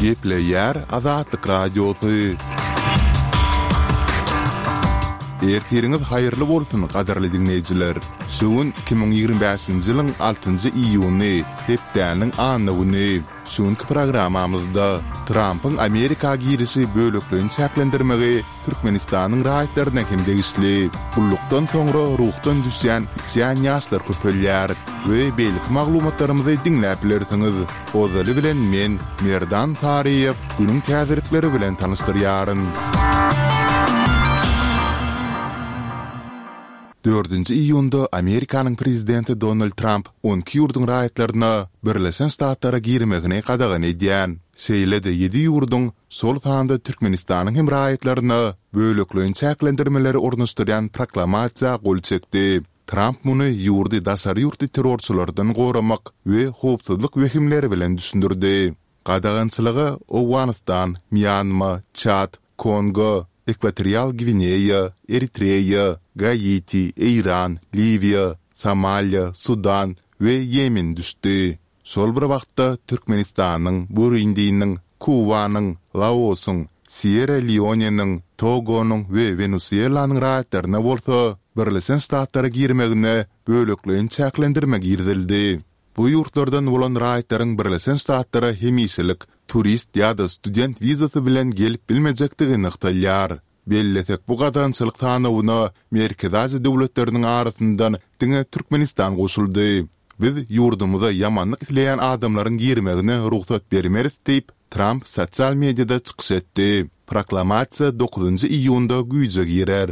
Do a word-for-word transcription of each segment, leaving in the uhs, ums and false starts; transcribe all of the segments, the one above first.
Gepleýär Azatlyk Radiosy. Ertiriňiz haýyrly bolsun, gadyrly diňleýjiler! Şu gün iki müň ýigrimi bäşinji ýylyň altynjy iýuny, hepdäniň anna güni. Şu günki programmamyzda Trampyň Amerika girişi bölekleýin çäklendirmegi Türkmenistanyň raýatlaryna hem degişli. Gullukdan soňra ruhdan düşýän, içýän ýaşlar köpelýär we beýleki maglumatlarymyzy diňläp bilersiňiz. Ozaly bilen men, Merdan Saryýew, günüň täzelikleri bilen tanyşdyrýaryn. Dördünji iýunda Amerikanyň prezidenti Donald Tramp on iki ýurduň raýatlaryna Birleşen Ştatlara girmegini gadagan edýän, şeýle-de ýedi ýurduň, şol sanda Türkmenistanyň hem raýatlaryna bölekleýin çäklendirmeleri ornaşdyrýan proklamasiýa gol çekdi. Tramp muny ýurdy daşary ýurtly terrorçylardan goramak we howpsuzlyk wehimleri bilen düşündirdi. Gadagançylyga Owganystan, Mýanma, Çad, Kongo, Ekwatorial Gwineýa, Eritreýa, Gaiti, Eýran, Liwiýa, Somaliýa, Sudan we Ýemen düşdi. Şol bir wagtda, Türkmenistanyň, Burundiniň, Kubanyň, Laosyň, Sýerra-Leoneniň, Togonyň we Wenesuelanyň raýatlaryna bolsa Birleşen Ştatlara girmegine bölekleýin çäklendirme girizildi. Bu ýurtlardan bolan raýatlaryň Birleşen Ştatlara hemişelik turist ýa-da student wizasy bilen gelip bilmejekdigi nygtalýar. Bellesek, bu gadagançylyk sanawyna Merkezi Aziýa döwletleriniň arasyndan diňe Türkmenistan goşuldy. Biz ýurdumyza ýamanlyk isleýän adamlaryň girmegine rugsat bermeris diýip, Tramp sosial mediada çykyş etdi. Proklamasiýa dokuzynjy iýunda güýje girer.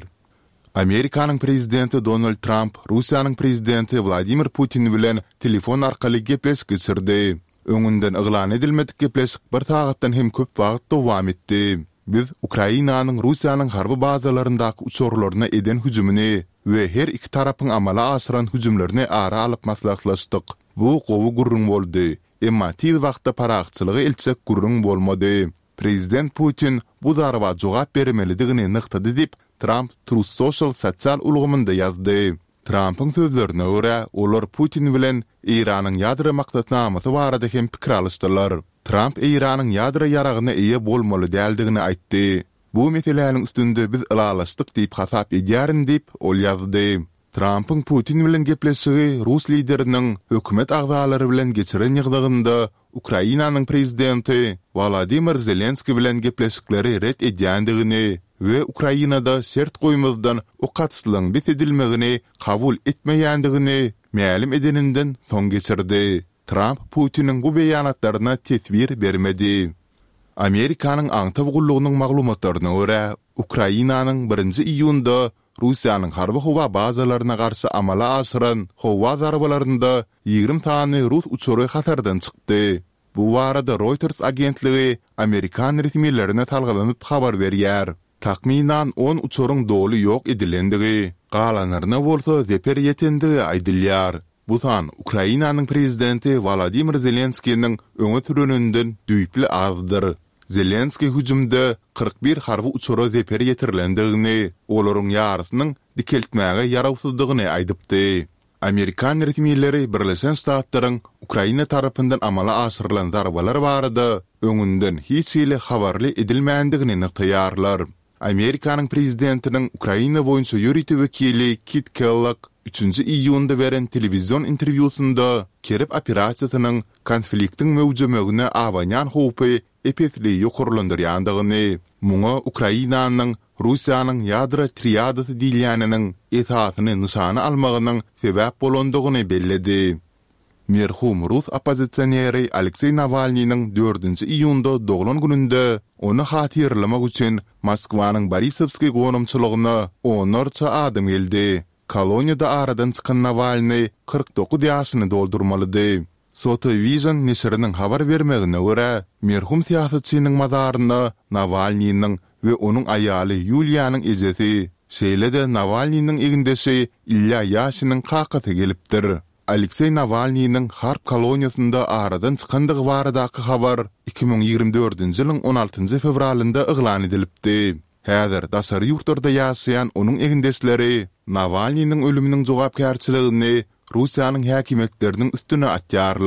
Amerikanyň prezidenti Donald Tramp Russiýanyň prezidenti Wladimir Putin bilen telefon arkaly gepleşik geçirdi. Öňünden yglan edilmedik gepleşik bir sagatdan hem köp wagt dowam etdi. Biz Ukrainanyň Russiýanyň harby bazalaryndaky uçarlaryna eden hüjümini we her iki tarapyň amala aşyran hüjümlerini ara alyp maslahatlaşdyk. Bu gowy gürrüň boldy, emma tiz wagtda parahatçylyga eltjek gürrüň bolmady. Prezident Putin bu zarba jogap bermelidigini nygtady diýip, Tramp Truth Social sosial ulgamynda ýazdy. Trampyň sözlerine görä, olar Putin bilen Eýranyň ýadro maksatnamasy barada hem pikir alyşdylar. Tramp Eýranyň ýadro ýaragyna eýe bolmaly däldigini aýtdy. Bu meseläniň üstünde biz ylalaşdyk diýip hasap edýärin diýip, ol ýazdy. Trampyň Putin bilen gepleşigi rus lideriniň hökümet agzalary bilen geçiren ýygnagynda Ukrainanyň prezidenti Wolodymyr Zelenskiý bilen gepleşikleri ret edýändigini we Ukrainada şert goýmazdan ok atyşlygyň bes edilmegini kabul etmeýändigini mälim edeninden soň geçirdi. Tramp Putiniň bu beýanatlaryna teswir bermedi. Amerikanyň aňtaw gullugynyň maglumatlaryna görä, Ukrainanyň birinji iýunda Russiýanyň harby-howa bazalaryna garşy amala aşyran howa zarbalarynda ýigrimi sany rus uçary hatardan çykdy. Bu barada Reuters agentligi amerikan resmilerine salgylanyp habar berýär. Takmynan on uçaryň doly ýok edilendigi, galanlaryna bolsa zeper ýetendigi aýdylýar. Bu san Ukrainanyň prezidenti Wolodymyr Zelenskiniň öňe süreninden düýpli azdyr. Zelenskiý hüjümde kyrk bir harby uçara zeper ýetirilendigini, olaryň ýarysynyň dikeltmäge ýarawsyzdygyny aýdypdy. Amerikan resmileri Birleşen Ştatlaryň Ukraina tarapyndan amala aşyrylan zarbalar barada öňünden hiç hili habarly edilmändigini nygtaýarlar. Amerikanyň prezidentiniň Ukraina boýunça ýörite wekili Kit Kellogg üçünji iýunda beren telewizion interwýusynda Kerep operasiýasynyň konfliktiň möwjemegine abanýan howpy ep-esli ýokarlandyrýandygyny, muňa Ukrainanyň Russiýanyň ýadro triadasy diýilýäniniň esasyny nyşana almagynyň sebäp bolandygyny belledi. Merhum rus oppozisioneri Alekseý Nawalnynyň dördünji iýunda doglan gününde ony hatyralamak üçin Moskwanyň Borisowskiý gonamçylygyna onlarça adam geldi. Koloniýada aradan çykan Nawalnyý kyrk dokuz ýaşyny doldurmalydy. Sotovision neşiriniň habar bermegine görä, merhum syýasatçynyň mazaryna Nawalnynyň we onuň aýaly Ýuliýanyň ejesi, şeýle-de Nawalnynyň egindeşi Ilýa Ýaşiniň kakasy gelipdir. Alekseý Nawalnynyň harp koloniýasynda aradan çykandygy baradaky habar iki müň ýigrimi dördünji ýylyň on altynjy fewralynda yglan edilipdi. Häzir daşary ýurtlarda ýaşaýan onuň egindeşleri Nawalnynyň ölüminiň jogapkärçiligini Russiýanyň häkimiýetleriniň üstüne atýarlar.